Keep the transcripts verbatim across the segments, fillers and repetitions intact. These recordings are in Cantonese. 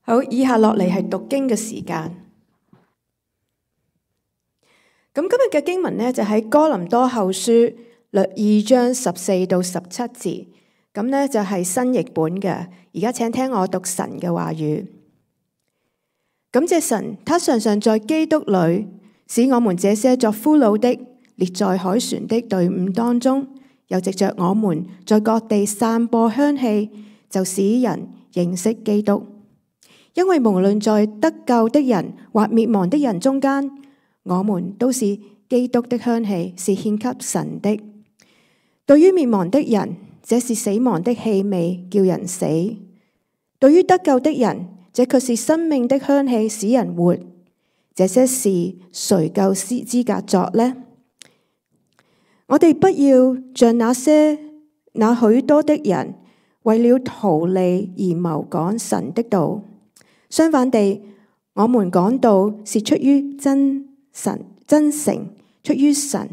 好，以下落嚟係讀經嘅時間。咁今日嘅經文呢，就喺哥林多後書二章十四到十七節，咁呢，就係新譯本嘅。而家請聽我讀神嘅話語。感謝神，他常常在基督裏使我們這些作俘虜的列在海船的隊伍當中，又藉着我們在各地散播香氣，就使人認識基督。因為無論在得救的人或滅亡的人中間，我們都是基督的香氣，是獻給神的。對於滅亡的人，這是死亡的氣味，叫人死；對於得救的人，這卻是生命的香氣，使人活。這些事誰夠資格作呢？我哋不要像那些那許多的人，為了圖利而謀講神的道。相反地，我們講道是出於真神真誠，出於神，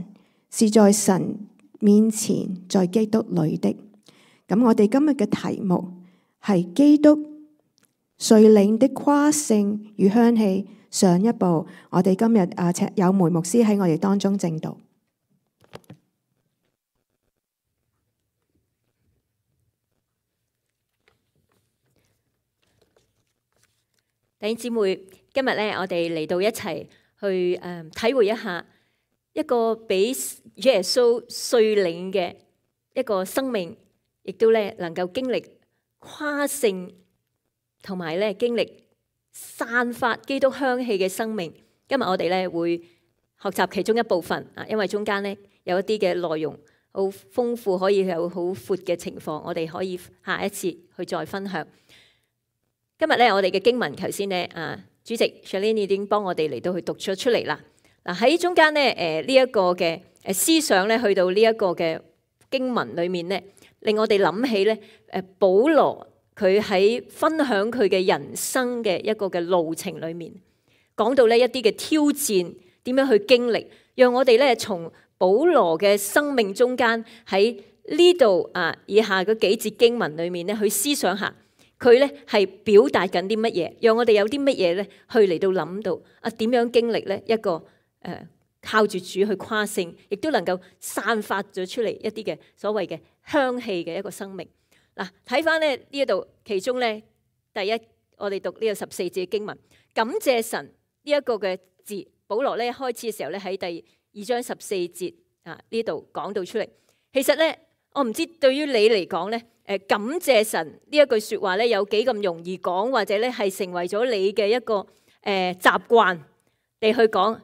是在神面前，在基督裏的。咁我哋今日嘅題目係基督遂領的誇勝與香氣。上一步，我哋今日啊，請有梅牧師喺我哋當中證道。弟兄姊妹，今日咧，我哋嚟到一齊去誒體會一下一個俾耶穌遂領嘅一個生命，亦都咧能夠經歷誇勝，同埋咧經歷散發基督香氣嘅生命。今日我哋咧會學習其中一部分啊，因為中間咧有一啲嘅內容好豐富，可以有好闊嘅情況，我哋可以下一次去再分享。今日咧，我哋嘅經文頭先咧，啊，主席 Shalini 已經幫我哋嚟到去讀咗出嚟啦。嗱，喺中間咧，誒呢一個嘅誒思想咧，去到呢一個嘅經文裏面咧，令我哋諗起咧，誒保羅佢喺分享佢嘅人生嘅一個嘅路程裏面，講到呢一啲嘅挑戰點樣去經歷，讓我哋咧從保羅嘅生命中間喺呢度啊以下嗰幾節經文裏面咧去思想下。佢咧係表達緊啲乜嘢，讓我哋有啲乜嘢咧去嚟到諗到啊點樣經歷咧一個誒、呃、靠住主去誇勝，亦都能夠散發咗出嚟一啲嘅所謂嘅香氣嘅一個生命。嗱，睇翻咧呢一度其中咧第一，我哋讀呢個十四節嘅經文，感謝神呢一個嘅字，保羅咧開始嘅時候咧喺第二章十四節啊呢度講到出嚟。其實咧，我唔知對於你嚟講咧。誒感謝神呢一句説話咧，有幾咁容易講，或者咧係成為咗你嘅一個誒、呃、習慣，你去講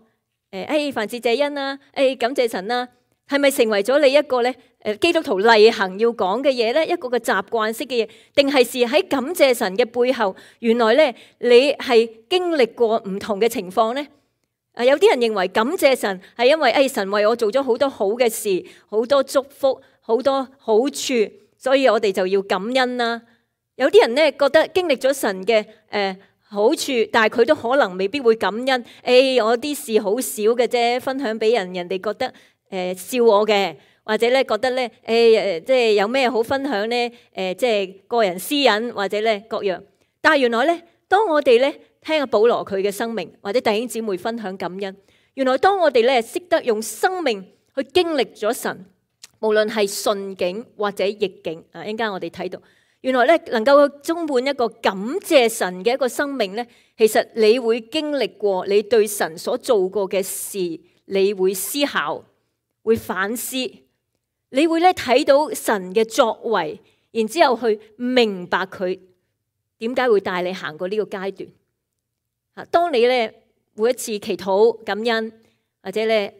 誒誒凡事謝恩啦，誒、哎、感謝神啦，係咪成為咗你一個咧誒基督徒例行要講嘅嘢咧？一個嘅習慣式嘅嘢，定係是喺感謝神嘅背後，原來咧你係經歷過唔同嘅情況咧？啊，有啲人認為感謝神係因為誒、哎、神為我做咗好多好嘅事，好多祝福，好多好處。所以我哋就要感恩啦。有啲人咧覺得經歷咗神嘅誒、呃、好處，但係佢都可能未必會感恩。誒、哎，我啲事好少嘅啫，分享俾人，人哋覺得誒、呃、笑我嘅，或者咧覺得咧誒誒，即係有咩好分享咧？誒、呃，即係個人私隱或者咧各樣。但係原來咧，當我哋咧聽阿保羅佢嘅生命，或者弟兄姊妹分享感恩，原來當我哋咧識得用生命去經歷咗神。無論係順境或者逆境，啊，一陣間我哋睇到，原來咧能夠充滿一個感謝神嘅一個生命咧，其實你會經歷過你對神所做過嘅事，你會思考，會反思，你會咧睇到神嘅作為，然之後去明白佢點解會帶你行過呢個階段。啊，當你咧每一次祈禱感恩，或者咧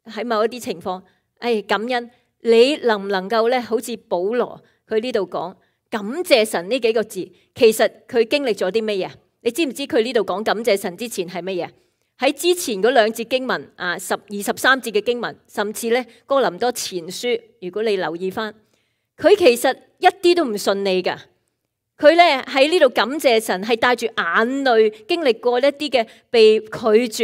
喺某一啲情況。誒，感恩，你能唔能夠咧？好似保羅佢呢度講感謝神呢幾個字，其實佢經歷咗啲乜嘢？你知唔知佢呢度講感謝神之前係乜嘢？喺之前嗰兩節經文啊，十二十三節嘅經文，甚至咧哥林多前書，如果你留意翻，佢其實一啲都唔順利噶。佢咧喺呢度感謝神，係帶住眼淚經歷過一啲嘅被拒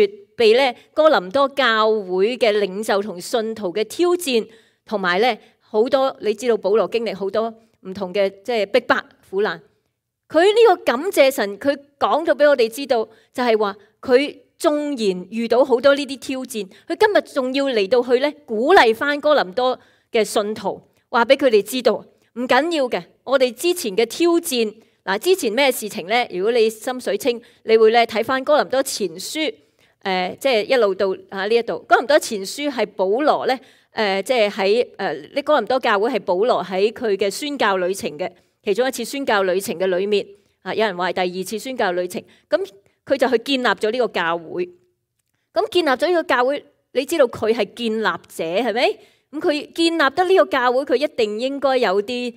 絕。被咧哥林多教會嘅領袖同信徒嘅挑戰，同埋咧好多你知道保羅經歷好多唔同嘅即係逼迫苦難，佢呢個感謝神，佢講咗俾我哋知道，就係話佢縱然遇到好多呢啲挑戰，佢今日仲要嚟到去咧鼓勵翻哥林多嘅信徒，話俾佢哋知道唔緊要嘅。我哋之前嘅挑戰嗱，之前咩事情咧？如果你心水清，你會咧睇翻哥林多前書，誒、呃，即係一路到啊呢一度。哥林多前書係保羅咧，誒、呃，即係喺誒呢哥林多教會係保羅喺佢嘅宣教旅程嘅其中一次宣教旅程嘅裏面啊，有人話係第二次宣教旅程，咁佢就去建立咗呢個教會。咁建立咗呢個教會，你知道佢係建立者係咪？咁佢建立得呢個教會，佢一定應該有啲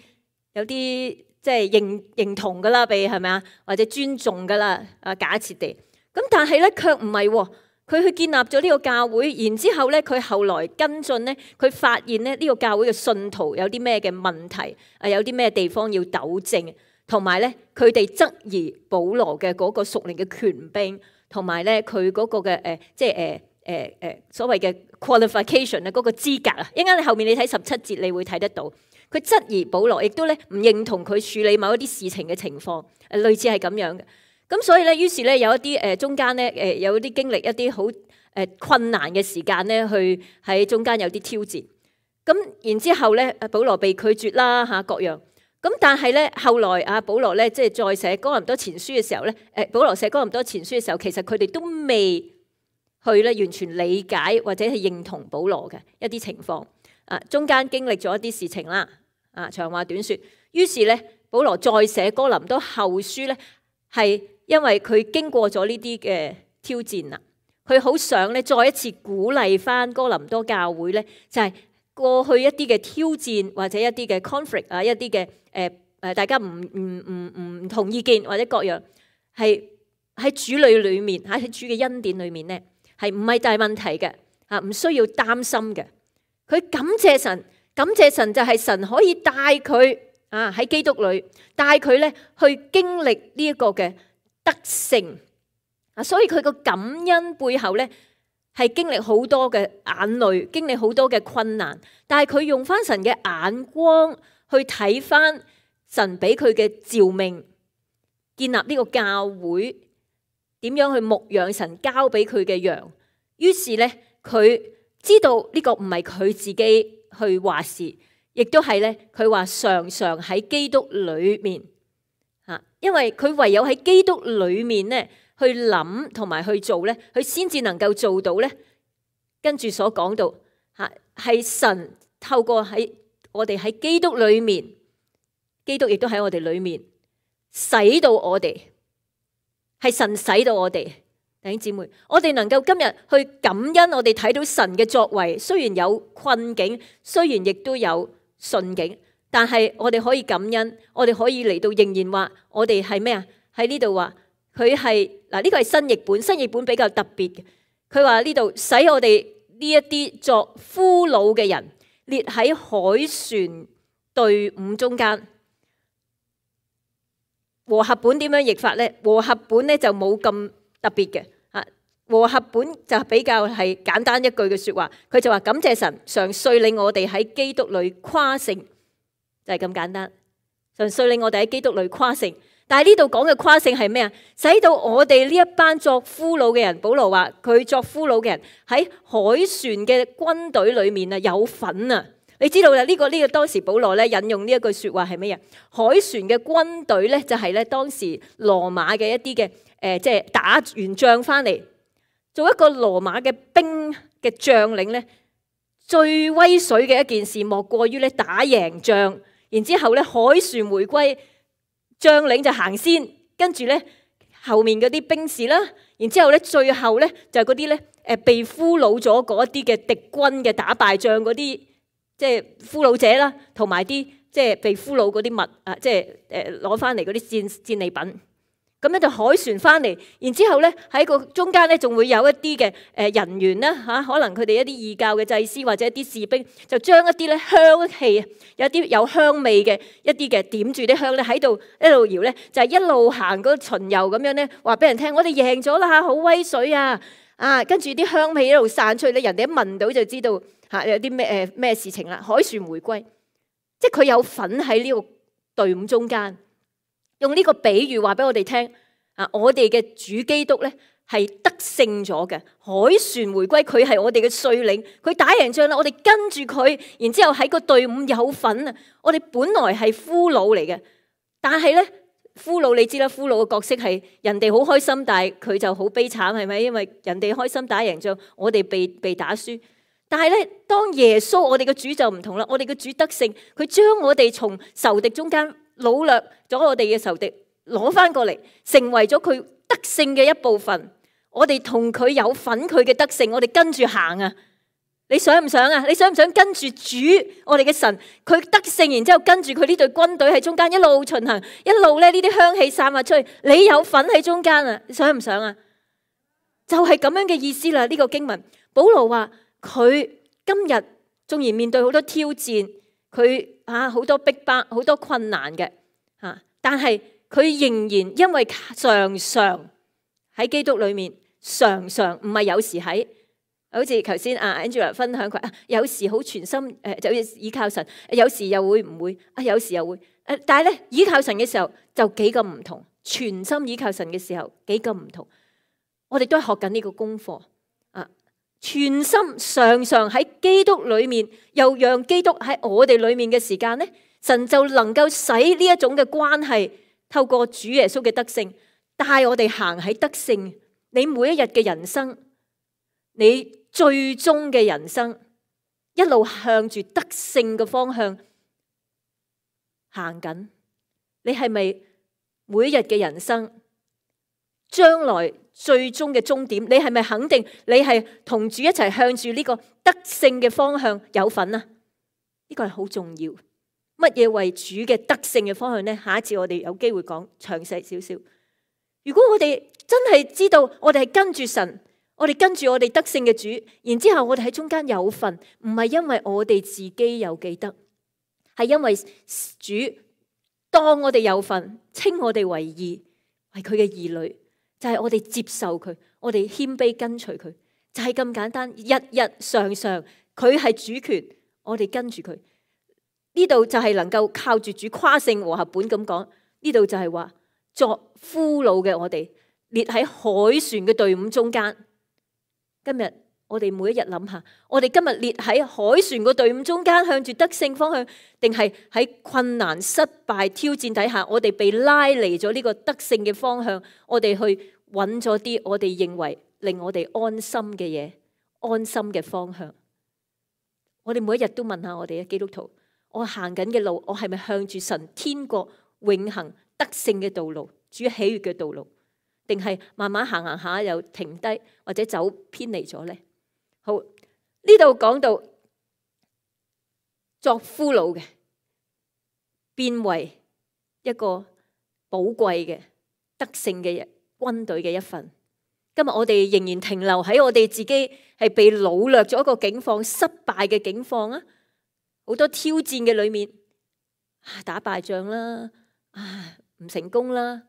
有啲即係認認同噶啦，被係咪啊？或者尊重噶啦啊？假設地咁，但係咧卻唔係喎。佢去建立咗呢個教會，然之後咧，佢後來跟進咧，佢發現咧呢個教會嘅信徒有啲咩嘅問題，啊有啲咩地方要糾正，同埋咧佢哋質疑保羅嘅嗰個屬靈嘅權柄，同埋咧佢嗰個嘅誒即係誒誒誒所謂嘅 qualification 啊嗰個資格啊，一陣間你後面你睇十七節，你會睇得到，佢質疑保羅，亦都咧唔認同佢處理某一啲事情嘅情況，誒類似係咁樣嘅。咁所以咧，於是咧有一啲誒中間咧誒有啲經歷一啲好誒困難嘅時間咧，去喺中間有啲挑戰。咁然之後咧，保羅被拒絕啦嚇各樣。咁但係咧後來啊，保羅咧即係再寫哥林多前書嘅時候咧，誒保羅寫哥林多前書嘅時候，其實佢哋都未去咧完全理解或者係認同保羅嘅一啲情況。啊，中間經歷咗一啲事情啦。啊，長話短説，於是咧保羅再寫哥林多後書咧係。因為佢經過咗呢啲嘅挑戰啦，佢好想咧再一次鼓勵翻哥林多教會咧，就係過去一啲嘅挑戰或者一啲嘅 conflict 啊，一啲嘅誒誒大家唔唔唔唔同意見或者各樣，係喺主裏裏面喺主嘅恩典裏面咧，係唔係大問題嘅啊？唔需要擔心嘅。佢感謝神，感謝神就係神可以帶佢啊喺基督裏帶佢咧去經歷呢一個嘅得勝啊，所以佢個感恩背後咧係經歷好多嘅眼淚，經歷好多嘅困難，但係佢用翻神嘅眼光去睇翻神俾佢嘅召命，建立呢個教會，點樣去牧養神交俾佢嘅羊。於是咧佢知道呢個唔係佢自己去話事，亦都係咧佢話常常喺基督裏面。因為佢唯有喺基督裏面咧，去諗同埋去做咧，佢先至能夠做到咧。跟住所講到吓，係神透過喺我哋喺基督裏面，基督亦都喺我哋裏面，使到我哋係神使到我哋弟兄姊妹，我哋能夠今日去感恩，我哋睇到神嘅作為，雖然有困境，雖然亦都有順境。但係我哋可以感恩，我哋可以嚟到仍然話我哋係咩啊？喺呢度話佢係嗱，呢個係新譯本，新譯本比較特別嘅。佢話呢度使我哋呢一啲作俘虜嘅人列喺海船隊伍中間。和合本點樣譯法咧？和合本咧就冇咁特別嘅嚇。和合本就比較係簡單一句嘅説話，佢就話感謝神常率領我哋喺基督裏誇勝。就係咁簡單，神率領我哋喺基督裏誇勝。但係呢度講嘅誇勝係咩啊？使到我哋呢一班作俘虜嘅人，保羅話佢作俘虜嘅人喺海船嘅軍隊裏面啊有份啊！你知道啦，呢個呢個當時保羅咧引用呢一句説話係咩啊？海船嘅軍隊咧就係咧當時羅馬嘅一啲嘅誒，即係打完仗翻嚟，做一個羅馬嘅兵嘅將領咧，最威水嘅一件事莫過於咧打贏仗。然之後咧，海船回歸，將領就行先，跟住咧後面嗰啲兵士啦，然之後咧最後咧就係嗰啲咧誒被俘虜咗嗰一啲嘅敵軍嘅打敗仗嗰啲，即係俘虜者啦，同埋啲即係被俘虜嗰啲物啊，即係誒攞翻嚟嗰啲戰戰利品。咁咧就海船翻嚟，然之後咧喺個中間咧仲會有一啲嘅誒人員啦嚇，可能佢哋一啲異教嘅祭司或者一啲士兵，就將一啲咧香氣，有啲有香味嘅一啲嘅點住啲香咧喺度一路搖咧，就係一路行個巡遊咁樣咧，話俾人聽我哋贏咗啦嚇，好威水啊！啊，跟住啲香味一路散出去咧，人哋一聞到就知道嚇有啲咩誒咩事情啦。海船回歸，即係佢有份喺呢個隊伍中間。用呢個比喻話俾我哋聽啊，我哋嘅主基督咧係得勝咗嘅，凱旋回歸，佢係我哋嘅帥領，佢打贏仗啦，我哋跟住佢，然之後喺個隊伍有份啊！我哋本來係俘虜嚟嘅，但係咧俘虜你知啦，俘虜嘅角色係人哋好開心，但係佢就好悲慘，係咪？因為人哋開心打贏仗，我哋被被打輸。但係咧，當耶穌我哋嘅主就唔同啦，我哋嘅主得勝，佢將我哋從仇敵中間擄掠咗我哋嘅仇敵，攞翻過嚟，成為咗佢得勝嘅一部分。我哋同佢有份，佢嘅得勝，我哋跟住行啊！你想唔想啊？你想唔想跟住主我哋嘅神，佢得勝，然之後跟住佢呢隊軍隊喺中間一路巡行，一路咧呢啲香氣散發出去，你有份喺中間啊！你想唔想啊？就係咁樣嘅意思啦。呢個經文，保羅話佢今日縱然面對好多挑戰，佢啊好多逼迫、好多困難嘅吓，但係佢仍然因為常常喺基督裏面。常常唔係有時喺，好似頭先阿 Angela 分享佢啊，有時好全心誒，就要依靠神，有時又會唔會啊？有時又會誒，但係咧依靠神嘅時候就幾咁唔同，全心依靠神嘅時候幾咁唔同。我哋都係學緊呢個功課啊！全心常常喺基督裏面，又讓基督喺我哋裏面嘅時間咧，神就能夠使呢一種嘅關係透過主耶穌嘅得勝，帶我哋行喺得勝。你每一日嘅人生，你最終嘅人生，一路向住得勝嘅方向行緊。你係咪每一日嘅人生，將來最終嘅終點，你係咪肯定你係同主一齊向住呢個得勝嘅方向有份啊？呢個係好重要。乜嘢為主嘅得勝嘅方向呢？下一次我哋有機會講詳細少少。如果我哋真係知道我哋係跟住神，我哋跟住我哋得勝嘅主，然之後我哋喺中間有份，唔係因為我哋自己有記得，係因為主當我哋有份，稱我哋為義，係佢嘅兒女，就係、是、我哋接受佢，我哋謙卑跟隨佢，就係、是、咁簡單，日日常常佢係主權，我哋跟住佢。呢度就係能夠靠住主誇勝和合本咁講，呢度就係話作俘虜嘅我哋。列喺凱旋嘅隊伍中間，今日我哋每一日諗下，我哋今日列喺凱旋嘅隊伍中間，向住得勝方向，定係喺困難、失敗、挑戰底下，我哋被拉離咗呢個得勝嘅方向，我哋去揾咗啲我哋認為令我哋安心嘅嘢、安心嘅方向。我哋每一日都問下我哋嘅基督徒，我行緊嘅路，我係咪向住神天國永恆得勝嘅道路、主喜悅嘅道路？定係慢慢行行下又停低，或者走偏離咗呢？好，呢度講到作俘虜嘅，變為一個寶貴嘅得勝嘅軍隊嘅一份。今日我哋仍然停留喺我哋自己係被擄掠咗一個境況、失敗嘅境況啊！好多挑戰嘅裏面，打敗仗啦，啊唔成功啦，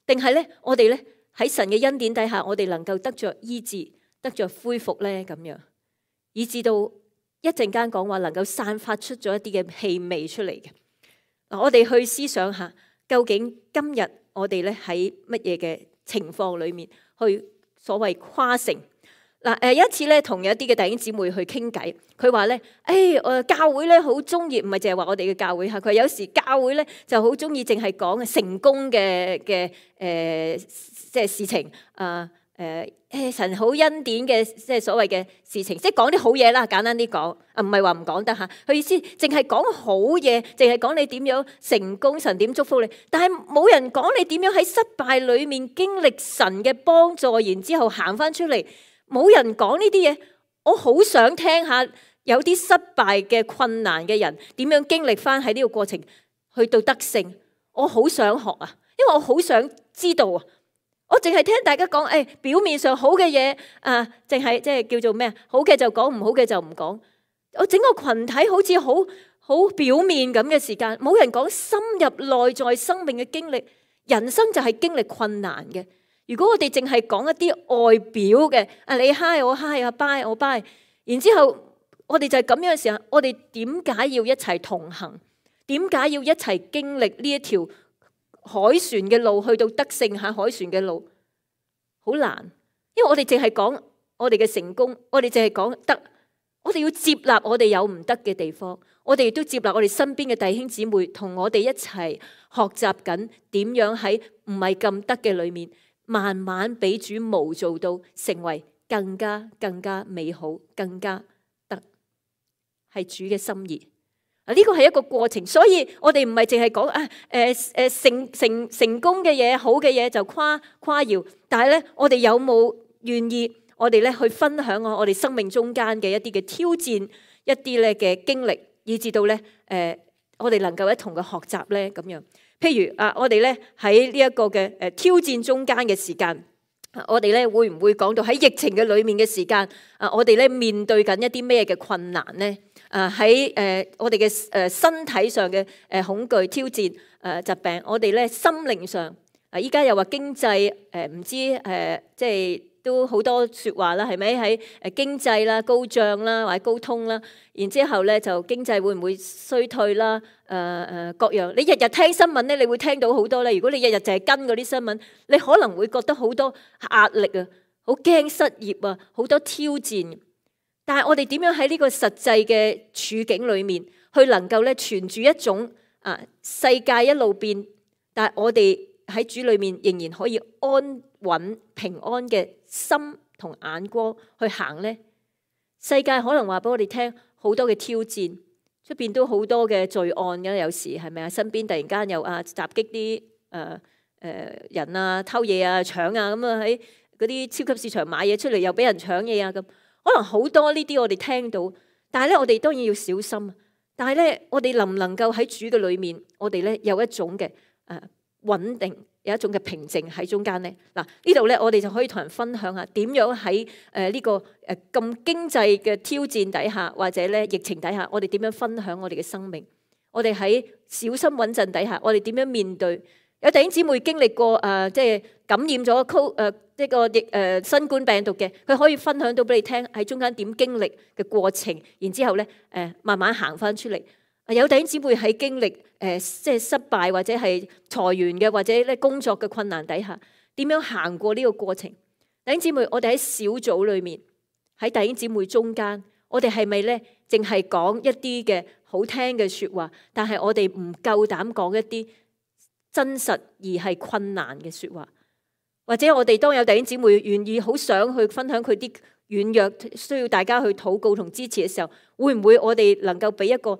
定係咧我哋咧？喺神嘅恩典底下，我哋能夠得着醫治，得着恢復咧，咁樣，以至到一陣間講話能夠散發出咗一啲嘅氣味出嚟嘅。嗱，我哋去思想下，究竟今日我哋咧喺乜嘢嘅情況裏面去所謂誇勝？嗱，誒有一次咧，同有一啲嘅弟兄姊妹去傾偈，佢話咧，誒，誒教會咧好中意，唔係淨係話我哋嘅教會嚇，佢有時教會咧就好中意淨係講成功嘅嘅誒，即係事情啊，誒誒神好恩典嘅，即係所謂嘅事情，即係講啲好嘢啦，簡單啲講，啊唔係話唔講得嚇，佢意思淨係講好嘢，淨係講你點樣成功，神點祝福你，但係冇人講你點樣喺失敗裡面經歷神嘅幫助，然之後行翻出嚟。冇人講呢啲嘢，我好想聽下有啲失敗嘅困難嘅人點樣經歷翻喺呢個過程去到得勝。我好想學啊，因為我好想知道啊。我淨係聽大家講，誒、哎、表面上好嘅嘢啊，淨係即係叫做咩啊？好嘅就講，唔好嘅就唔講。我整個群體好似好好表面咁嘅時間，冇人講深入內在生命嘅經歷。人生就係經歷困難嘅。如果我哋淨係講一啲外表嘅，啊你嗨我嗨啊拜我拜，然之後我哋就係咁樣嘅時候，我哋點解要一齊同行？點解要一齊經歷呢一條海船嘅路去到得勝下海船嘅路，好難。因為我哋淨係講我哋嘅成功，我哋淨係講得，我哋要接納我哋有唔得嘅地方，我哋亦都接納我哋身邊嘅弟兄姊妹同我哋一齊學習緊點樣喺唔係咁得嘅裏面，慢慢俾主模造到成為更加更加美好，更加得係主嘅心意。啊，呢個係一個過程，所以我哋唔係淨係講啊誒誒成成成功嘅嘢，好嘅嘢就誇誇耀，但係咧我哋有冇願意我哋咧去分享我我哋生命中間嘅一啲嘅挑戰，一啲咧嘅經歷，以至到咧誒我哋能夠一同嘅學習咧咁樣。譬如啊，我哋咧喺呢一個嘅誒挑戰中間嘅時間，我哋咧會唔會講到喺疫情嘅裏面嘅時間啊？我哋咧面對緊一啲咩嘅困難咧？啊喺誒我哋嘅誒身體上嘅誒恐懼挑戰誒疾病，我哋咧心靈上啊，依家又話經濟誒唔知誒即係都好多説話啦，係咪喺誒經濟啦高漲啦或者高通啦，然之後咧就經濟會唔會衰退啦？誒誒各樣，你日日聽新聞咧，你會聽到好多咧。如果你日日淨係跟嗰啲新聞，你可能會覺得好多壓力啊，好驚失業啊，好多挑戰。但係我哋點樣喺呢個實際嘅處境裏面，去能夠咧存住一種啊世界一路變，但係我哋喺主裏面仍然可以安穩平安嘅心同眼光去行呢？世界可能話俾我哋聽好多嘅挑戰，出邊都好多嘅罪案嘅，有時係咪啊？身邊突然間又啊襲擊啲誒誒人啊，偷嘢啊，搶啊，咁啊喺嗰啲超級市場買嘢出嚟又俾人搶嘢啊咁。可能好多呢啲我哋聽到，但係咧我哋當然要小心。但係咧我哋能唔能夠喺主嘅裏面，我哋咧有一種嘅誒穩定，有一種嘅平靜喺中間咧。嗱呢度咧我哋就可以同人分享下點樣喺誒呢個誒咁經濟嘅挑戰底下，或者咧疫情底下，我哋點樣分享我哋嘅生命？我哋喺小心穩陣底下，我哋點樣面對？有弟兄姊妹經歷過誒，即係感染咗 co 誒呢個疫誒新冠病毒嘅，佢可以分享到俾你聽喺中間點經歷嘅過程，然之後咧誒慢慢行翻出嚟。有弟兄姊妹喺經歷誒即係失敗或者係裁員嘅，或者咧工作嘅困難底下，點樣行過呢個過程？弟兄姊妹，我哋喺小組裏面，喺弟兄姊妹中間，我哋係咪咧淨係講一啲嘅好聽嘅説話，但係我哋唔夠膽講一啲真實而係困難嘅説話？或者我哋當有弟兄姊妹願意好想去分享佢啲軟弱，需要大家去禱告同支持嘅時候，會唔會我哋能夠俾一個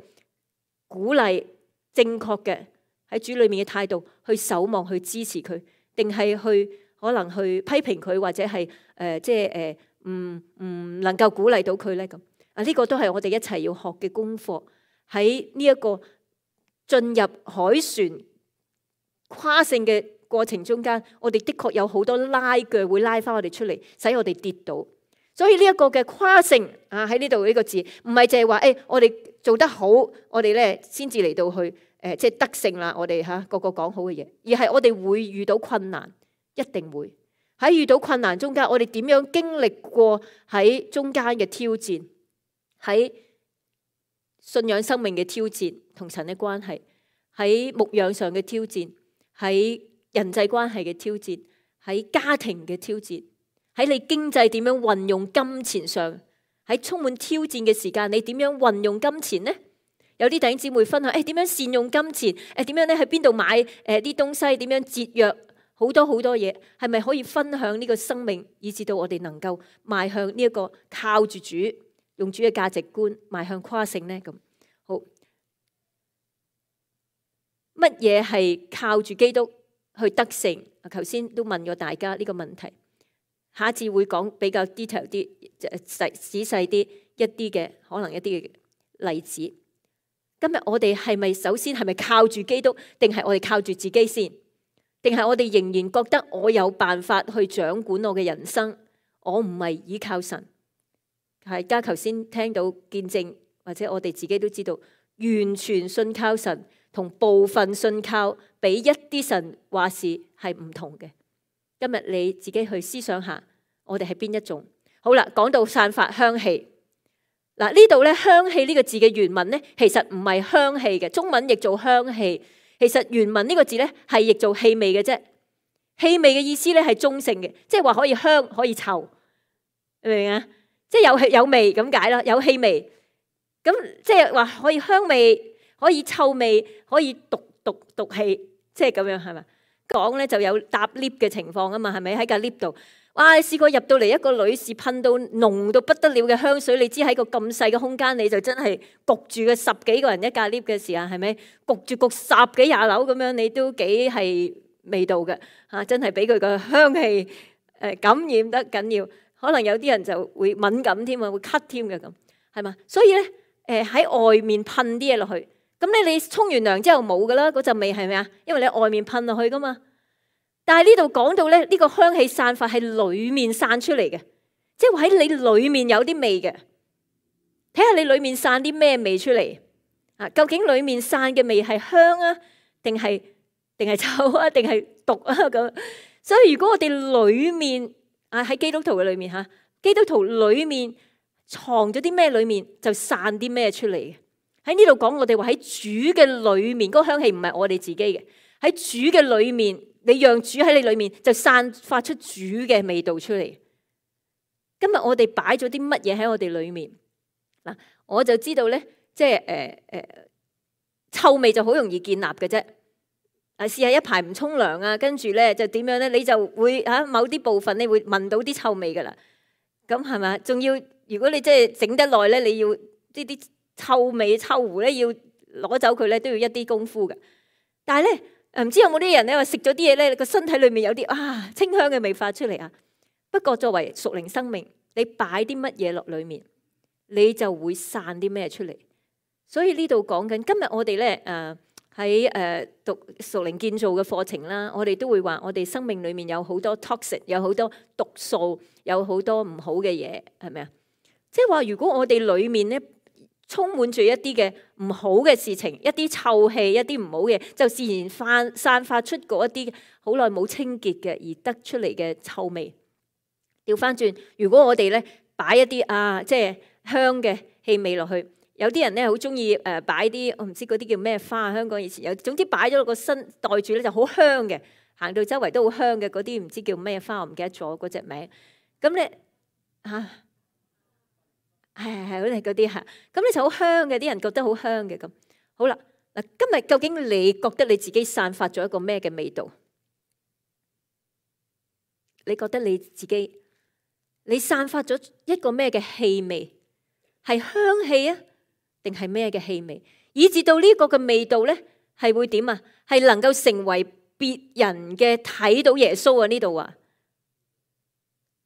鼓勵正確嘅喺主裏面嘅態度去守望去支持佢，定係去可能去批評佢，或者係誒、呃、即係誒唔唔能夠鼓勵到佢咧咁啊？呢、這個都係我哋一齊要學嘅功課。喺呢一個進入海船跨性嘅過程中間，我哋的確有好多拉鋸會拉翻我哋出嚟，使我哋跌倒。所以呢一個嘅跨性啊，喺呢度呢個字唔係淨係話誒我哋做得好，我哋咧先至嚟到去誒、呃、即係得勝啦。我哋嚇個個講好嘅嘢，而係我哋會遇到困難，一定會喺遇到困難中間，我哋點樣經歷過喺中間嘅挑戰，喺信仰生命嘅挑戰同神嘅關係，喺牧養上嘅挑戰，喺人際關係嘅挑戰，喺家庭嘅挑戰，喺你經濟點樣運用金錢上，喺充滿挑戰嘅時間，你點樣運用金錢呢？有啲弟兄姊妹分享，誒點樣善用金錢？誒點樣咧喺邊度買誒啲東西？點樣節約？好多好多嘢，係咪可以分享呢個生命，以至到我哋能夠邁向呢一個靠住主，用主嘅價值觀邁向跨性呢？咁好，乜嘢係靠住基督去得勝？頭先都問過大家呢個問題，下次會講比較 detail 啲、細仔細啲一啲嘅可能一啲嘅例子。今日我哋係咪首先係咪靠住基督，定係我哋靠住自己先？定係我哋仍然覺得我有辦法去掌管我嘅人生？我唔係依靠神。係家頭先聽到見證，或者我哋自己都知道，完全信靠神同部分信靠俾一啲神話事係唔同嘅。今日你自己去思想下，我哋係邊一種？好啦，講到散發香氣。嗱，呢度咧香氣呢個字嘅原文咧，其實唔係香氣嘅，中文譯做香氣。其實原文呢個字咧係譯做氣味嘅啫。氣味嘅意思咧係中性嘅，即係話可以香可以臭，明唔明啊？即係有氣有味咁解啦，有氣味。咁即係話可以香味，可以臭味，可以毒毒毒氣，即係咁樣係咪？講咧就有搭 lift 嘅情況啊嘛，係咪喺架 lift 度？哇！試過入到嚟一個女士噴到濃到不得了嘅香水，你知喺個咁細嘅空間，你就真係焗住嘅十幾個人一架 lift 嘅時候，係咪焗住焗十幾廿樓咁樣？你都幾係味道嘅嚇，真係俾佢個香氣誒感染得緊要，可能有啲人就會敏感添啊，會咳添嘅咁，係嘛？所以咧誒喺外面噴啲嘢落去，咁咧你沖完涼之後冇噶啦，嗰陣味係咪啊？因為你外面噴落去噶嘛。但係呢度講到咧，呢個香氣散發係裏面散出嚟嘅，即係話喺你裏面有啲味嘅。睇下你裏面散啲咩味出嚟啊？究竟裏面散嘅味係香啊，定係定係臭啊，定係毒啊咁？所以如果我哋裏面啊喺基督徒嘅裏面吓，基督徒裏面藏咗啲咩，裏面就散啲咩出嚟嘅。喺呢度講我哋話喺主嘅裏面，嗰個香氣唔係我哋自己嘅，喺主嘅裏面。你讓主喺你裏面，就散發出主嘅味道出嚟。今日我哋擺咗啲乜嘢喺我哋裏面嗱？我就知道咧，即係誒誒，臭味就好容易建立嘅啫。啊，試下一排唔沖涼啊，跟住咧就點樣咧？你就會嚇某啲部分你會聞到啲臭味噶啦。咁係咪？仲要如果你即係整得耐咧，你要呢啲臭味臭狐咧，要攞走佢咧，都要一啲功夫嘅。但係咧。唔知有冇啲人咧話食咗啲嘢咧，個身體裏面有啲啊清香嘅味發出嚟啊。不過作為屬靈生命，你擺啲乜嘢落裏面，你就會散啲咩出嚟。所以呢度講緊，今日我哋咧誒喺誒讀屬靈建造嘅課程啦，我哋都會話我哋生命裏面有好多 toxic， 有好多毒素，有好多唔好嘅嘢，係咪啊？即係話如果我哋裏面咧，充滿住一啲嘅唔好嘅事情，一啲臭氣，一啲唔好嘅，就自然散散發出嗰一啲好耐冇清潔嘅而得出嚟嘅臭味。調翻轉，如果我哋咧擺一啲啊，即係香嘅氣味落去，有啲人咧好中意誒擺啲我唔知嗰啲叫咩花，香港以前有，總之擺咗落個身袋住咧就好香嘅，行到周圍都好香嘅嗰啲唔知叫咩花，我唔記得咗嗰隻名。咁咧嚇。係係係，嗰啲嗰啲嚇，咁咧就好香嘅，啲人覺得好香嘅咁。好啦，嗱，今日究竟你覺得你自己散發咗一個咩嘅味道？你覺得你自己你散發咗一個咩嘅氣味？係香氣啊，定係咩嘅氣味？以至到呢個嘅味道咧，係會點啊？係能夠成為別人嘅睇到耶穌啊！呢度啊，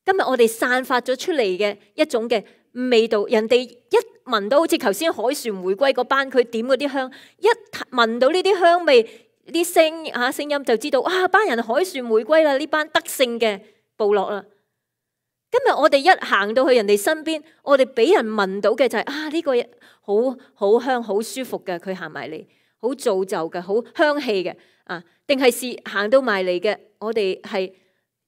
今日我哋散發咗出嚟嘅一種嘅味道，人哋一聞到好似頭先凱旋回歸嗰班佢點嗰啲香，一聞到呢啲香味、啲聲嚇聲音就知道啊，班人凱旋回歸啦，呢班得勝嘅部落啦。今日我哋一行到去人哋身邊，我哋俾人聞到嘅就係啊，呢個好好香、好舒服嘅，佢行埋嚟，好造就嘅，好香氣嘅啊，定係是行到埋嚟嘅？我哋係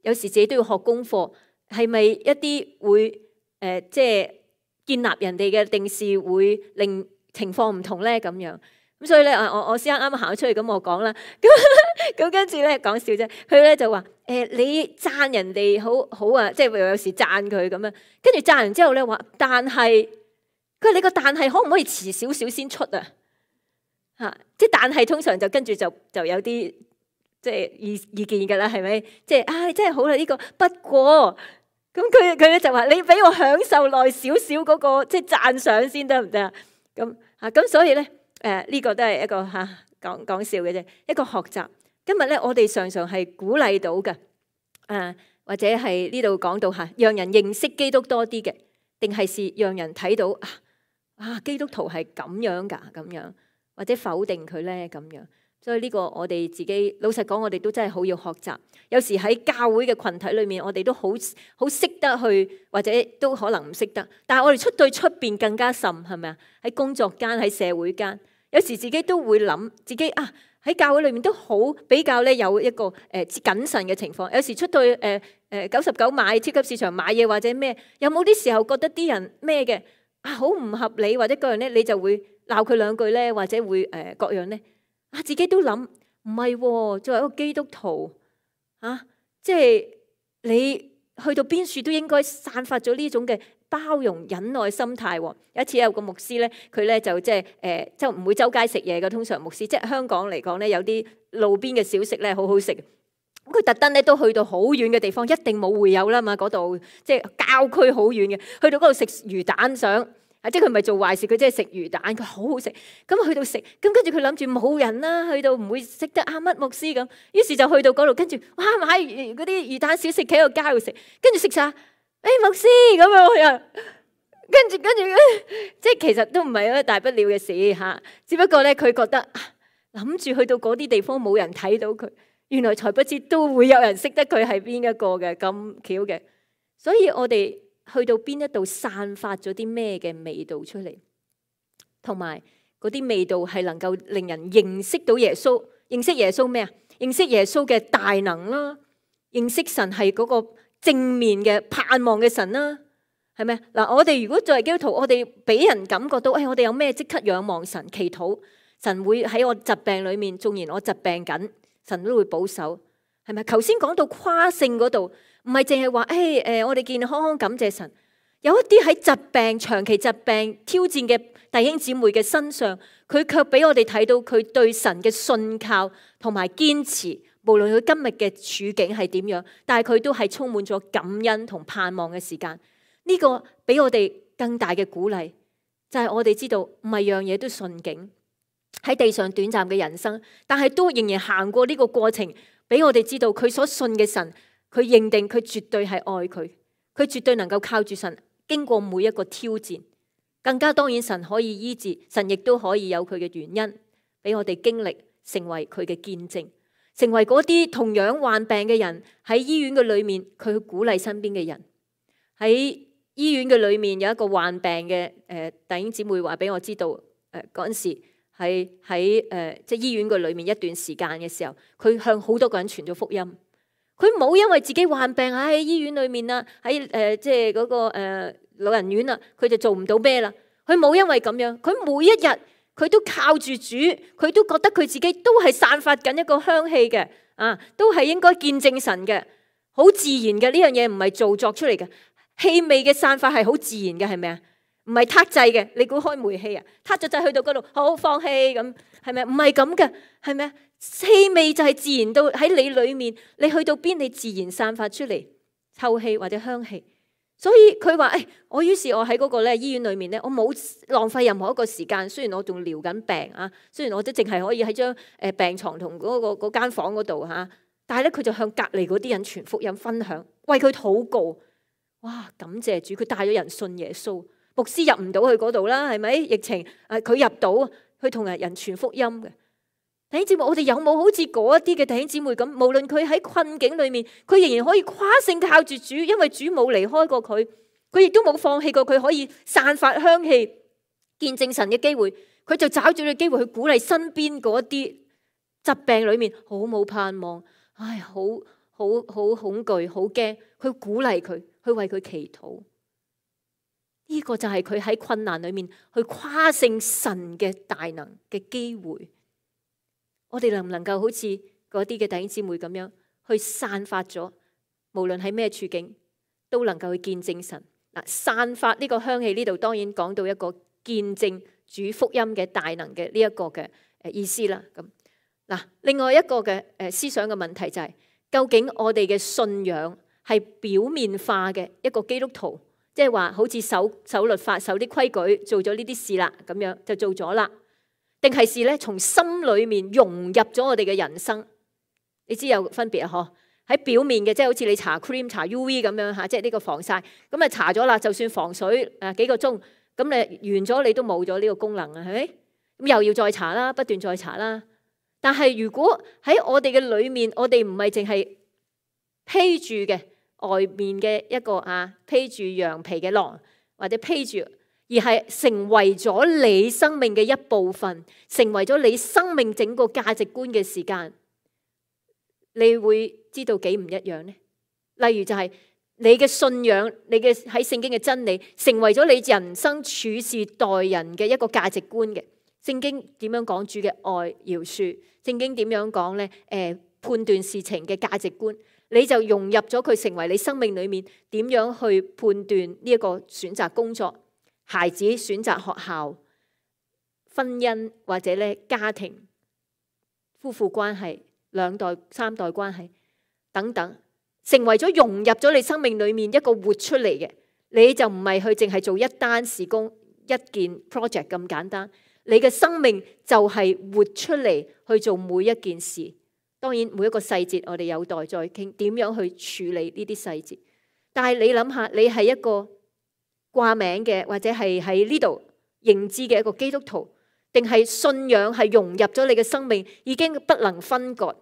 有時自己都要學功課，係咪一啲會？誒、呃，即係建立人哋嘅，定是會令情況唔同咧咁樣。咁所以咧，我我先啱啱行咗出去，咁我講啦。咁咁跟住咧講笑啫。佢咧就話：誒、呃，你讚人哋好好啊，即係有時讚佢咁樣。跟住讚完之後咧話，但係佢話你個但係可唔可以遲少少先出啊？嚇、啊！即係但係通常就跟住就就有啲即係意意見㗎啦，係咪？即係唉，真係好啦呢個。不過。咁佢佢咧就話：你俾我享受耐少少嗰個即係讚賞先得唔得啊？咁啊咁所以咧誒呢個都係一個嚇講講笑嘅啫，一個學習。今日咧我哋常常係鼓勵到嘅誒，或者係呢度講到嚇，讓人認識基督多啲嘅，定係是讓人睇到啊啊基督徒係咁樣㗎咁樣，或者否定佢咧咁樣。所以呢個我哋自己老實講，我哋都真係好要學習。有時喺教會嘅群體裏面，我哋都好好識得去，或者都可能唔識得。但係我哋出對出邊更加甚，係咪啊？喺工作間，喺社會間，有時自己都會諗自己啊喺教會裏面都好比較咧有一個誒、呃、謹慎嘅情況。有時出對誒誒九十九買超級市場買嘢或者咩，有冇啲時候覺得啲人咩嘅啊好唔合理或者各樣咧，你就會鬧佢兩句咧，或者會誒、呃、各樣咧。啊，自己都諗唔係喎，作為一個基督徒啊，即係你去到邊處都應該散發咗呢種嘅包容忍耐心態喎。有一次有個牧師咧，佢咧就即係誒，即係唔會周街食嘢嘅。通常牧師即係香港嚟講咧，有啲路邊嘅小食咧好好食。佢特登咧都去到好遠嘅地方，一定冇會友啦嘛，嗰度即係郊區好遠嘅，去到嗰度食魚蛋想，啊即係佢唔係做壞事，佢即係食魚蛋，佢好好食。咁去到食，咁跟住佢諗住冇人啦，去到唔會識得啊乜牧師咁，於是就去到嗰度，跟住哇買嗰啲魚蛋小食企喺個街度食，跟住食晒，誒牧師咁樣啊，跟住跟住即係其實都唔係一個大不了嘅事嚇，只不過咧佢覺得諗住去到嗰啲地方冇人睇到佢。原來才不知都會有人識得佢係邊一個嘅，咁巧嘅，所以我哋去到邊一度散發咗啲咩嘅味道出嚟，同埋嗰啲味道係能夠令人認識到耶穌，認識耶穌咩啊？認識耶穌嘅大能啦，認識神係嗰個正面嘅盼望嘅神啦，係咪？嗱，我哋如果作為基督徒，我哋俾人感覺到，誒、哎，我哋有咩即刻仰望神，祈禱，神會喺我疾病裏面，縱然我疾病緊。神都會保守，係咪？頭先講到誇勝嗰度，唔係淨係話，誒誒，我哋健健康康感謝神。有一啲喺疾病、長期疾病挑戰嘅弟兄姊妹嘅身上，佢卻俾我哋睇到佢對神嘅信靠同埋堅持。無論佢今日嘅處境係點樣，但係佢都係充滿咗感恩同盼望嘅時間。呢個俾我哋更大嘅鼓勵，就係我哋知道唔係樣嘢都順境。喺地上短暫嘅人生，但係都仍然行過呢個過程，俾我哋知道佢所信嘅神，佢認定佢絕對係愛佢，佢絕對能夠靠住神經過每一個挑戰。更加當然神可以醫治，神亦都可以有佢嘅原因，俾我哋經歷成為佢嘅見證，成為嗰啲同樣患病嘅人喺醫院嘅裏面，佢去鼓勵身邊嘅人。喺醫院嘅裏面有一個患病嘅誒弟兄姊妹話俾我知道，誒嗰陣時。喺喺誒即係醫院嘅裏面一段時間嘅時候，佢向好多個人傳咗福音。佢冇因為自己患病喺醫院裏面啦，喺誒即係嗰個誒老人院啦，佢就做唔到咩啦。佢冇因為咁樣，佢每一日佢都靠住主，佢都覺得佢自己都係散發緊一個香氣嘅，啊，都係應該見證神嘅，好自然嘅。呢樣嘢唔係做作出嚟嘅，氣味嘅散發係好自然嘅，係咪啊？唔係撻製嘅，你估開煤氣啊？撻咗掣去到嗰度，好放氣咁，係咪？唔係咁嘅，係咪？氣味就係自然到喺你裏面，你去到邊，你自然散發出嚟臭氣或者香氣。所以佢話：誒、哎，我於是我喺嗰個咧醫院裏面咧，我冇浪費任何一個時間。雖然我仲療緊病啊，雖然我都淨係可以喺張誒病床同嗰個嗰間房嗰度嚇，但係咧佢就向隔離嗰啲人傳福音分享，為佢禱告。哇！感謝主，佢帶咗人信耶穌。牧師入唔到去嗰度啦，係咪？疫情誒，佢入到去同人人傳福音嘅弟兄姊妹，我哋有冇好似嗰一啲嘅弟兄姊妹咁？無論佢喺困境裏面，佢仍然可以誇勝靠住主，因為主冇離開過佢，佢亦都冇放棄過佢可以散發香氣、見證神嘅機會。佢就找住個機會去鼓勵身邊嗰啲疾病裏面好冇盼望，唉，好好好恐懼、好驚，去鼓勵佢，去為佢祈禱。呢個就係佢喺困難裏面去誇勝神嘅大能嘅機會。我哋能唔能夠好似嗰啲嘅弟兄姊妹咁樣去散發咗，無論喺咩處境都能夠去見證神嗱，散發呢個香氣。呢度當然講到一個見證主福音嘅大能嘅呢一個嘅誒意思啦。咁嗱，另外一個嘅誒思想嘅問題就係，究竟我哋嘅信仰係表面化嘅一個基督徒？即係話好似守守律法、守啲規矩，做咗呢啲事啦，咁樣就做咗啦。定係是咧從心裏面融入咗我哋嘅人生？你知有分別啊？嗬，喺表面嘅，即係好似你搽 cream、搽 U V 咁樣嚇，即係呢個防曬，咁啊搽咗啦，就算防水誒幾個鐘，咁你完咗你都冇咗呢個功能啊，係咪？咁又要再搽啦，不斷再搽啦。但係如果喺我哋嘅裏面，我哋唔係淨係披住嘅。外面嘅一個啊披住羊皮嘅狼，或者披住，而係成為咗你生命嘅一部分，成為咗你生命整個價值觀嘅時間，你會知道幾唔一樣呢？例如就係你嘅信仰，你嘅喺聖經嘅真理，成為咗你人生處事待人嘅一個價值觀嘅，聖經點樣講主嘅愛饒恕？聖經點樣講咧？誒、呃，判斷事情嘅價值觀，你就融入咗佢，成為你生命裏面點樣去判斷呢一個選擇工作、孩子選擇學校、婚姻或者咧家庭、夫婦關係、兩代、三代關係等等，成為咗融入咗你生命裏面一個活出嚟嘅，你就唔係去淨係做一單事工、一件 project 咁簡單。你嘅生命就係活出嚟去做每一件事。當然每一個細節我哋有待再傾，點樣去處理呢啲細節。但係你諗下，你係一個掛名嘅，或者係喺呢度認知嘅一個基督徒，定係信仰係融入咗你嘅生命，已經不能分割。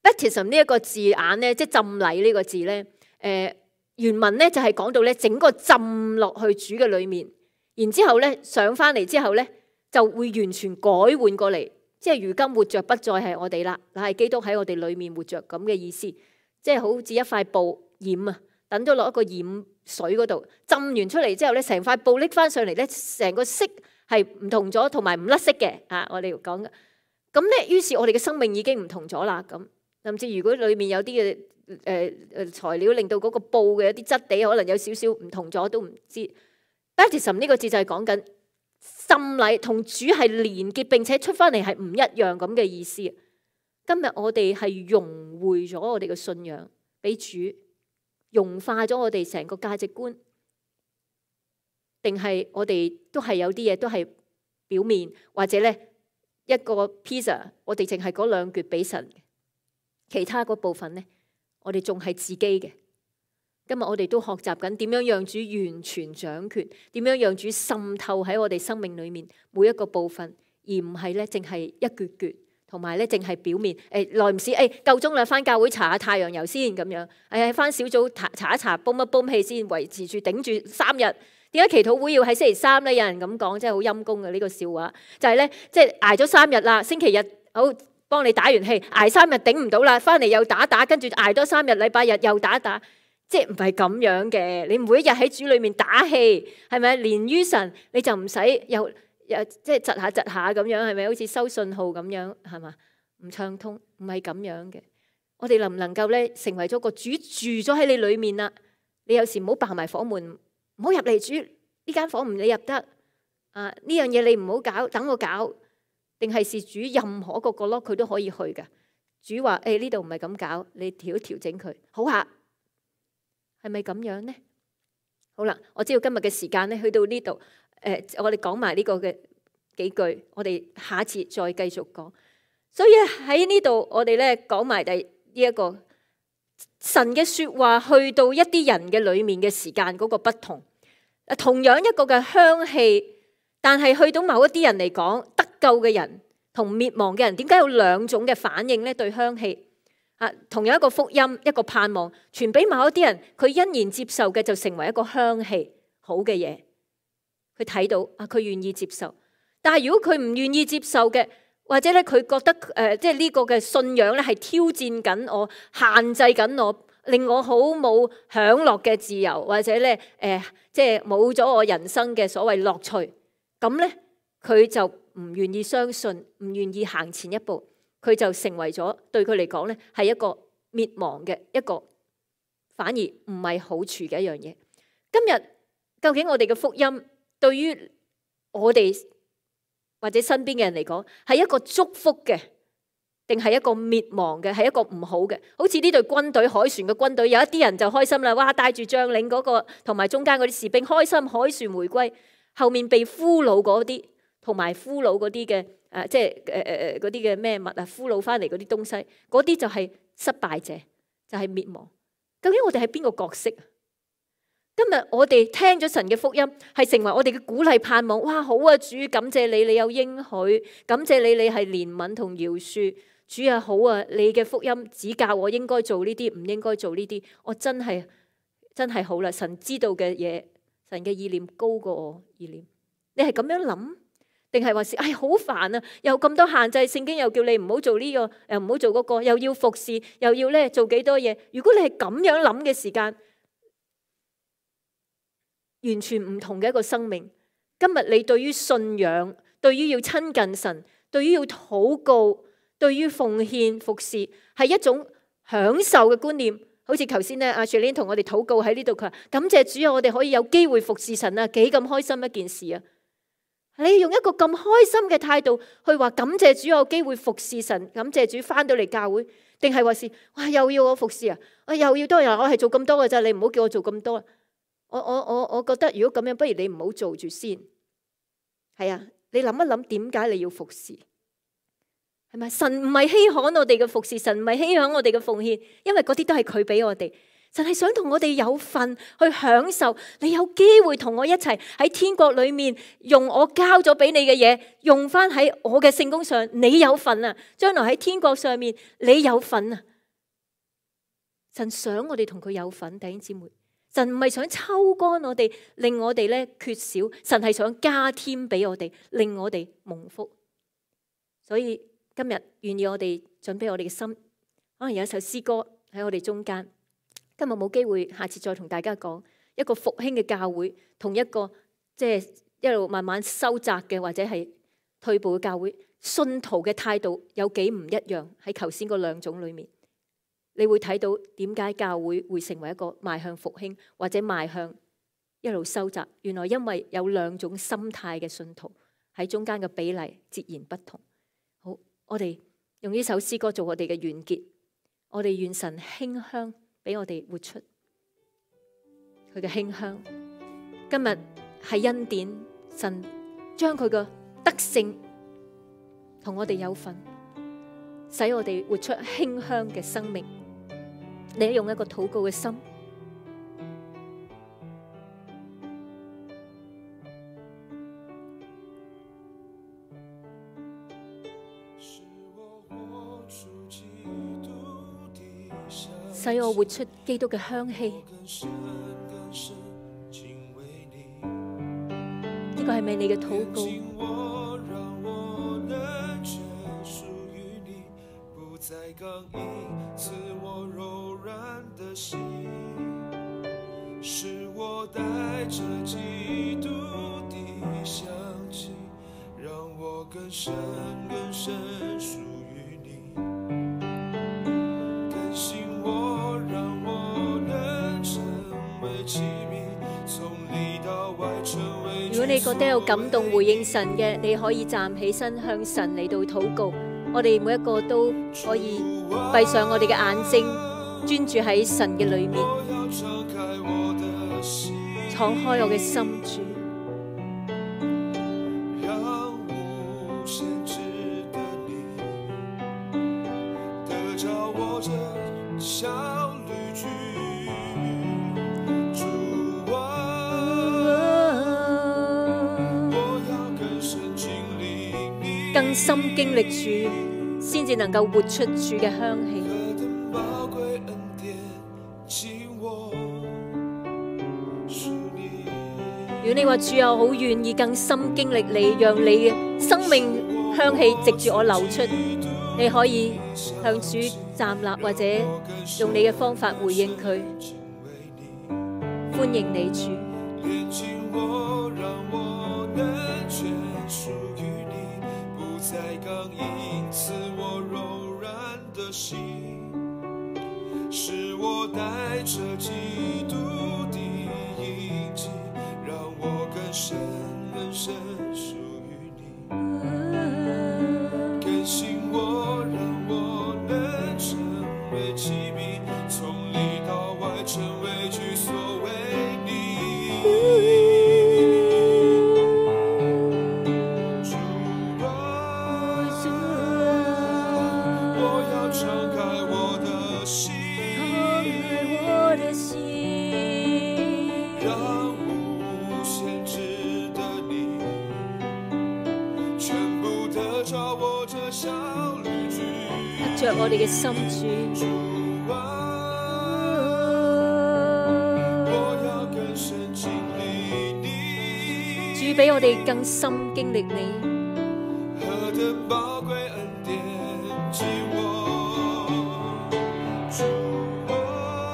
Baptism 呢一個字眼咧，即係浸禮呢個字咧，誒原文咧就係講到咧整個浸落去主嘅裏面，然之後咧上翻嚟之後咧，就會完全改換過嚟，即係如今活着不再係我哋啦，但係基督喺我哋裏面活着咁嘅意思，即係好似一塊布染啊，等咗落一個染水嗰度，浸完出嚟之後咧，成塊布拎翻上嚟咧，成個色係唔同咗，同埋唔甩色嘅啊！我哋講嘅咁咧，於是我哋嘅生命已經唔同咗啦。咁甚至如果裏面有啲嘅誒誒材料令到嗰個布嘅一啲質地可能有少少唔同咗，都唔知。Baptism 呢個字就係講緊浸禮同主係連結，並且出翻嚟係唔一樣咁嘅意思。今日我哋係融匯咗我哋嘅信仰，俾主融化咗我哋成個價值觀，定係我哋都係有啲嘢都係表面，或者咧一個 pizza， 我哋淨係嗰兩橛俾神，其他嗰部分咧，我哋仲係自己嘅。今日我哋都學習緊點樣讓主完全掌權，點樣讓主滲透喺我哋生命裏面每一個部分，而唔係咧淨係一橛橛，同埋咧淨係表面。誒耐唔時誒夠鐘啦，翻教會搽下太陽油先咁樣。誒翻小組搽搽一搽，泵一泵氣先，維持住頂住三日。點解祈禱會要喺星期三咧？有人咁講，真係好陰功嘅呢個笑話。就係咧，即係捱咗三日啦，星期日好幫你打完氣，捱三日頂唔到啦，翻嚟又打打，跟住捱多三日，禮拜日又打打。即係唔係咁樣嘅？你每一日喺主裏面打氣，係咪連於神？你就唔使又又即係窒下窒下咁樣，係咪好似收信號咁樣？係嘛？唔暢通，唔係咁樣嘅。我哋能唔能夠咧成為咗個主住咗喺你裏面啦？你有時唔好爆埋房門，唔好入嚟主呢間房唔你入得啊！呢樣嘢你唔好搞，等我搞。定係是主任何個角落佢都可以去㗎。主話誒呢度唔係咁搞，你調一調整佢好下。係咪咁樣呢？好啦，我知道今日嘅時間咧，去到呢度，誒、呃，我哋講埋呢個嘅幾句，我哋下一次再繼續講。所以喺呢度，我哋咧講埋第呢一個神嘅說話，去到一啲人嘅裏面嘅時間嗰個不同。同樣一個嘅香氣，但係去到某一啲人嚟講，得救嘅人同滅亡嘅人，點解有兩種嘅反應咧？對香氣。啊，同樣一個福音，一個盼望，傳俾某一啲人，佢欣然接受嘅就成為一個香氣，好嘅嘢。佢睇到啊，佢願意接受。但係如果佢唔願意接受嘅，或者咧佢覺得誒、呃，即係呢個嘅信仰咧係挑戰緊我，限制緊我，令我好冇享樂嘅自由，或者咧誒、呃，即係冇咗我人生嘅所謂樂趣。咁咧佢就唔願意相信，唔願意行前一步。佢就成為咗對佢嚟講咧，係一個滅亡嘅一個，反而唔係好處嘅一樣嘢。今日究竟我哋嘅福音對於我哋或者身邊嘅人嚟講，係一個祝福嘅，定係一個滅亡嘅，係一個唔好嘅？好似呢隊軍隊海船嘅軍隊，有一啲人就開心啦，哇！帶住將領嗰個同埋中間嗰啲士兵開心，海船回歸，後面被俘虜嗰啲同埋俘虜嗰啲嘅。誒、呃，即係誒誒誒嗰啲嘅咩物啊，俘虜翻嚟嗰啲東西，嗰啲就係失敗者，就係、是、滅亡。究竟我哋係邊個角色啊？今日我哋聽咗神嘅福音，係成為我哋嘅鼓勵盼望。哇，好啊，主，感謝你，你有應許，感謝你，你係憐憫同饒恕。主啊，好啊，你嘅福音指教我應該做呢啲，唔應該做呢啲。我真係真係好啦，神知道嘅嘢，神嘅意念高過我意念。你係咁樣諗？定係話是，哎，好煩啊！又咁多限制，聖經又叫你唔好做呢個，又唔好做嗰個，又要服侍，又要咧做幾多嘢。如果你係咁樣諗嘅時間，完全唔同嘅一個生命。今日你對於信仰，對於要親近神，對於要禱告，對於奉獻服侍，係一種享受嘅觀念。好似頭先咧，阿 Shirley 同我哋禱告喺呢度，佢話感謝主啊，我哋可以有機會服侍神啊，幾咁開心一件事啊！你用一個咁開心嘅態度去話感謝主有機會服侍神，感謝主翻到嚟教會，定係話是哇又要我服侍啊？我又要多人，我係做咁多嘅咋，你唔好叫我做咁多。我我我我覺得如果咁樣，不如你唔好做住先。係啊，你諗一諗點解你要服侍？係咪神唔係稀罕我哋嘅服侍，神唔係稀罕我哋嘅奉獻，因為嗰啲都係佢俾我哋。神係想同我哋有份去享受，你有機會同我一齊喺天國裏面用我交咗俾你嘅嘢，用翻喺我嘅聖工上，你有份啊！將來喺天國上面你有份啊！神想我哋同佢有份，弟兄姊妹。神唔係想抽乾我哋，令我哋咧缺少，神係想加添俾我哋，令我哋蒙福。所以今日願意我哋準備我哋嘅心，可能有一首詩歌喺我哋中間。今日冇機會，下次再同大家講一個復興嘅教會，同一個即係一路慢慢收窄嘅或者係退步嘅教會，信徒嘅態度有幾唔一樣。喺頭先嗰兩種裏面，你會睇到點解教會會成為一個邁向復興或者邁向一路收窄。原來因為有兩種心態嘅信徒喺中間嘅比例截然不同。好，我哋用呢首詩歌做我哋嘅完結。我哋願神馨香俾我哋活出佢嘅馨香。今日係恩典，神將佢嘅德性同我哋有份，使我哋活出馨香嘅生命。你用一個禱告嘅心，使我活出基督嘅香氣。呢個係咪你嘅禱告？如果你覺得有感動回應神嘅，你可以站起身向神嚟到禱告。我哋每一個都可以閉上我哋嘅眼睛，專注喺神嘅裏面，敞開我嘅心主。更深經歷主，先至能夠活出主嘅香氣。如果你話主啊，好願意更深經歷你，讓你嘅生命香氣藉住我流出，你可以向主站立，或者用你嘅方法回應佢。歡迎你主。再剛硬，賜我柔軟的心，是我帶着基督的印記，讓我更深更深屬於你，更新我，讓我能成為器皿，從裡到外成為居所為你。着我哋嘅心主，主俾我哋更深經歷你，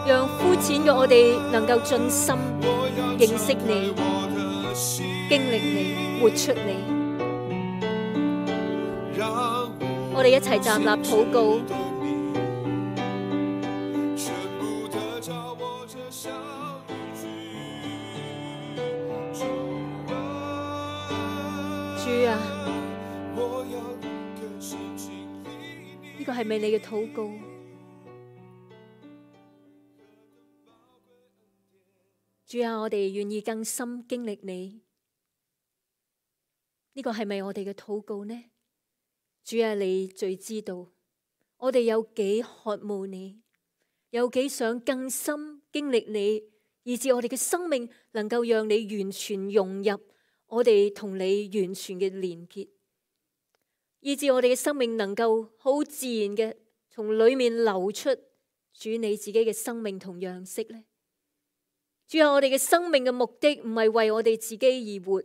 讓膚淺嘅我哋能夠盡心認識你、經歷你、活出你。哋一齊站立禱告。主啊，呢個係咪你嘅禱告？主啊，我哋願意更深經歷你，呢個係咪我哋嘅禱告呢？主啊，你最知道我哋有幾渴慕你，有幾想更深經歷你，以致我哋嘅生命能夠讓你完全融入我哋同你完全嘅連結，以致我哋嘅生命能夠好自然嘅從裏面流出主你自己嘅生命同樣式呢？主啊，我哋嘅生命嘅目的唔係為我哋自己而活，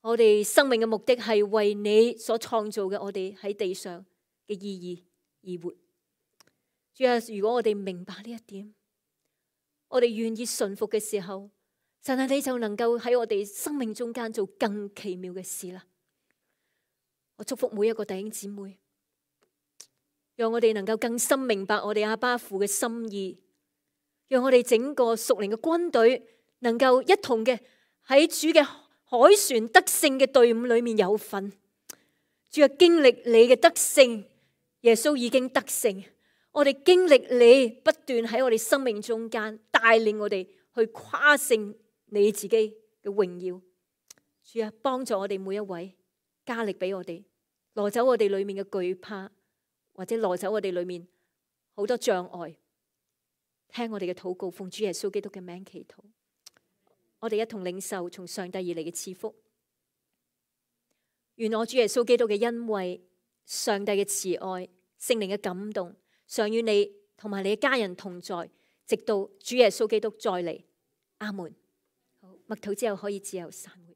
我哋生命嘅目的係為你所創造嘅我哋喺地上嘅意義而活。主啊，如果我哋明白呢一點，我哋願意順服嘅時候，神啊，你就能夠喺我哋生命中間做更奇妙嘅事啦。我祝福每一個弟兄姊妹，讓我哋能夠更深明白我哋阿爸父嘅心意，讓我哋整個屬靈嘅軍隊能夠一同嘅喺主嘅海船得勝嘅隊伍裏面有份。主啊，經歷你嘅得勝，耶穌已經得勝，我哋經歷你不斷喺我哋生命中間帶領我哋去誇勝你自己嘅榮耀。主啊，幫助我哋每一位，加力俾我哋，攞走我哋裏面嘅懼怕，或者攞走我哋裏面好多障礙。聽我哋嘅禱告，奉主耶穌基督嘅名祈禱。我哋一同領受從上帝而嚟嘅賜福。願我主耶穌基督嘅恩惠、上帝嘅慈愛、聖靈嘅感動，常與你同埋你嘅家人同在，直到主耶穌基督再嚟。阿門。好，默禱之後可以自由散會。